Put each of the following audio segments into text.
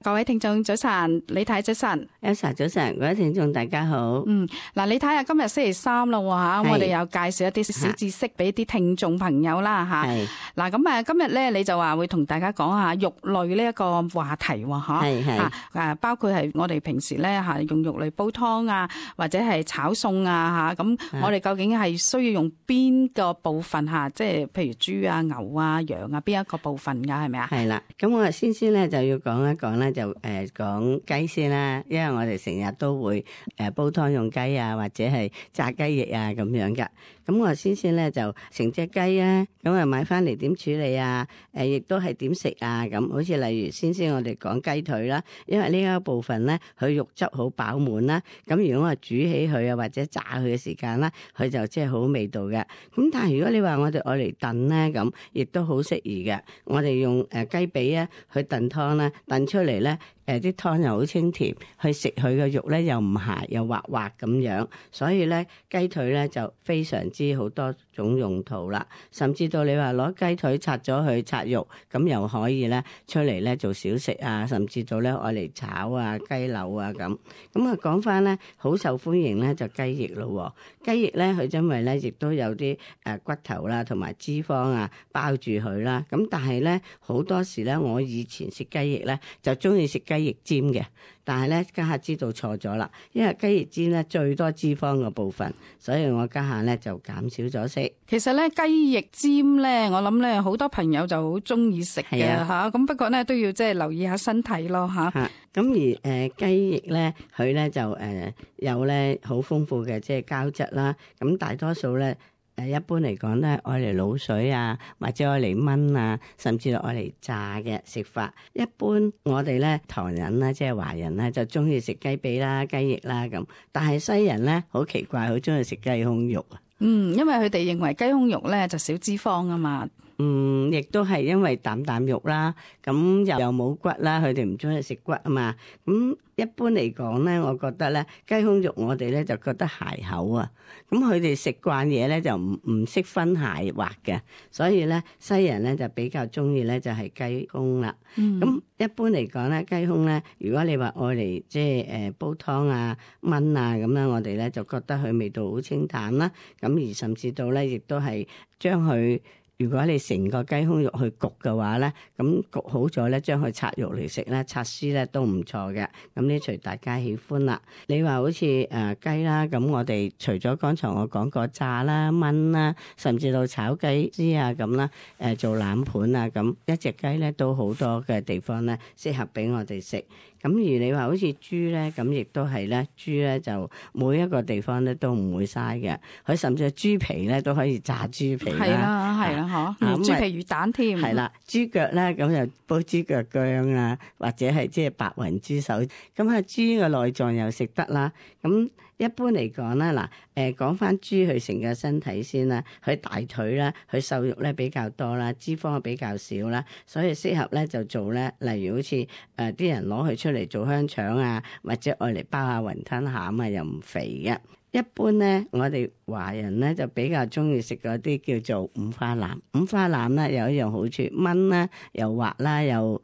各位聽眾早晨，李太早晨 Elsa 早晨，各位聽眾大家好。嗱，李太啊，今日星期三啦吓，我哋又介紹一啲小知識俾啲聽眾朋友啦吓。嗱，咁今日咧你就話會同大家講下肉類呢一個話題吓，包括係我哋平時咧吓用肉類煲湯啊，或者係炒餸啊吓，咁我哋究竟係需要用邊個部分吓？即係譬如豬啊、牛啊、羊啊，邊一個部分噶係咪啊？係啦，咁我先咧就要講一講咧。就講雞先啦，因為我哋成日都會煲湯用雞啊，或者係炸雞翼啊咁樣噶。咁我先咧就成隻雞啊，咁啊買翻嚟點處理啊？亦都係點食啊？咁好似例如先我哋講雞腿啦，因為呢一部分咧佢肉質好飽滿啦。咁如果我煮起佢啊，或者炸佢嘅時間啦，佢就即係好味道嘅。咁但係如果你話我哋愛嚟燉咧，咁亦都好適宜嘅。我哋用雞髀啊去燉湯啦，燉出嚟咧。啲湯又好清甜，去食佢嘅肉咧又唔鹹又滑滑咁樣，所以咧雞腿咧就非常之好多種用途啦。甚至到你話攞雞腿拆咗去拆肉，咁又可以咧出嚟咧做小食啊，甚至到咧愛嚟炒啊雞柳啊咁。咁啊講翻咧好受歡迎咧就雞翼咯。雞翼咧佢因為咧亦都有啲骨頭啦同埋脂肪啊包住佢啦。咁但係咧好多時咧我以前食雞翼咧就中意食雞翼尖嘅，但係咧家下知道錯咗啦，因為雞翼尖咧最多脂肪嘅部分，所以我家下咧就減少咗食。其實咧雞翼尖咧，我諗咧好多朋友就好中意食嘅吓，咁不過咧都要即係留意下身體咯吓。咁而雞翼咧，佢咧就有咧好豐富嘅即係膠質啦，咁大多數咧。一般嚟講咧，愛嚟滷水啊，或者愛嚟炆啊，甚至係愛嚟炸嘅食法。一般我哋咧唐人咧，即係華人咧，就中意食雞髀啦、雞翼啦咁。但係西人咧，好奇怪，好中意食雞胸肉啊。因為佢哋認為雞胸肉咧就少脂肪啊嘛。亦都係因為啖肉啦，咁又冇骨啦，佢哋唔中意食骨啊嘛。咁一般嚟講咧，我覺得咧雞胸肉我哋咧就覺得鞋口啊。咁佢哋食慣嘢咧就唔識分鞋滑嘅，所以咧西人咧就比較中意咧就係雞胸啦。咁一般嚟講咧雞胸咧，如果你話愛嚟即係煲湯啊、炆啊咁樣，我哋咧就覺得佢味道好清淡啦。咁而甚至到咧亦都係將佢。如果你成個雞胸肉去焗嘅話咧，咁焗好咗咧，將佢拆肉嚟食咧，拆絲咧都唔錯嘅。咁呢隨大家喜歡啦。你話好似雞啦，咁我哋除咗剛才我講過炸啦、炆啦，甚至到炒雞絲啊咁啦，做冷盤啊咁，一隻雞咧都好多嘅地方咧適合俾我哋食。咁而你話好似豬咧，咁亦都係咧，豬咧就每一個地方咧都唔會嘥嘅。佢甚至係豬皮咧都可以炸豬皮啦，係啦，豬皮魚蛋添。係啦，豬腳咧咁就煲豬腳薑啊，或者係即係白雲豬手。咁啊，豬嘅內臟又食得啦。咁一般嚟講啦，講翻豬佢成個身體先啦，佢大腿啦，佢瘦肉咧比較多啦，脂肪比較少啦，所以適合咧就做咧，例如好似啲人攞佢出嚟做香腸啊，或者愛嚟包下雲吞餡啊，又唔肥嘅。一般咧，我哋華人咧就比較中意食嗰啲叫做五花腩。五花腩咧有一樣好處，炆啦又滑啦又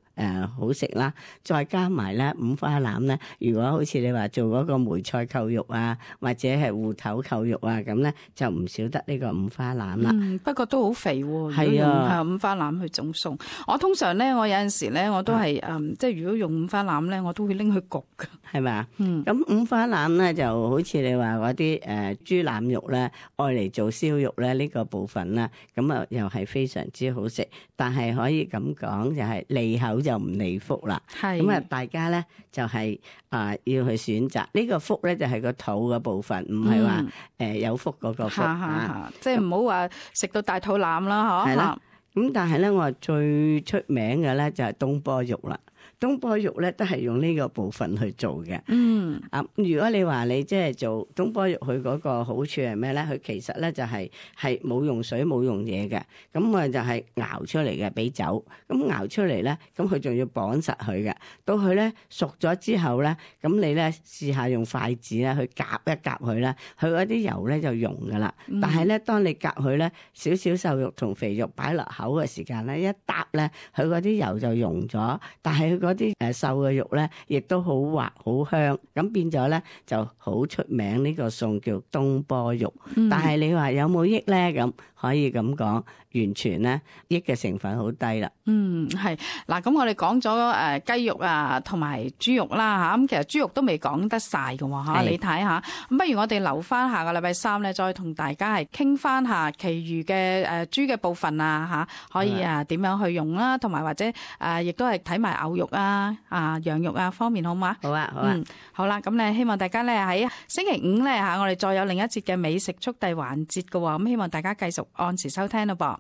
好食啦，再加埋咧五花腩咧，如果好似你話做嗰個梅菜扣肉啊，或者係芋頭扣肉啊咁咧，就唔少得呢個五花腩啦。不過都好肥喎。係啊，五花腩去整餸。我通常咧，我有陣時咧，我都係即係如果用五花腩咧，我都會拎去焗㗎。係咪？咁五花腩咧就好似你話嗰啲豬腩肉咧，愛嚟做燒肉咧呢個部分啦，咁啊又係非常之好食，但係可以咁講就係利口就唔利福啦。咁啊，大家咧就係要去選擇呢個福咧，就係個肚嘅部分，唔係話有福嗰個福即係唔好話食到大肚腩啦，嗬。係啦。咁但係咧，我最出名嘅咧就係東坡肉啦。東坡肉咧都係用呢個部分去做嘅。如果你話你即係做東坡肉，佢嗰個好處係咩咧？佢其實咧就係冇用水冇用嘢嘅，咁啊就係熬出嚟嘅，俾酒咁熬出嚟咧，咁佢仲要綁實佢嘅。到佢咧熟咗之後咧，咁你咧試下用筷子咧去夾一夾佢咧，佢嗰啲油咧就溶噶啦。但係咧，當你夾佢咧，少少瘦肉同肥肉擺落口嘅時間咧，一搭咧，佢嗰啲油就溶咗，但係佢嗰啲瘦嘅肉咧，亦都好滑好香，咁變咗咧就好出名呢個餸叫東坡肉。但係你話有冇益咧？咁可以咁講，完全咧益嘅成分好低啦。係嗱，咁我哋講咗雞肉啊，同埋豬肉啦嚇，咁其實豬肉都未講得晒㗎喎嚇，你睇下。咁不如我哋留翻下個禮拜三咧，再同大家係傾翻下其餘嘅豬嘅部分啊嚇，可以點樣去用啦，同埋或者亦都係睇埋牛肉啊、羊肉啊方面，好嗎？好啊，好啊。好啦，咁咧希望大家咧喺星期五咧嚇，我哋再有另一節嘅美食速遞環節㗎喎，咁希望大家繼續按時收聽咯噃。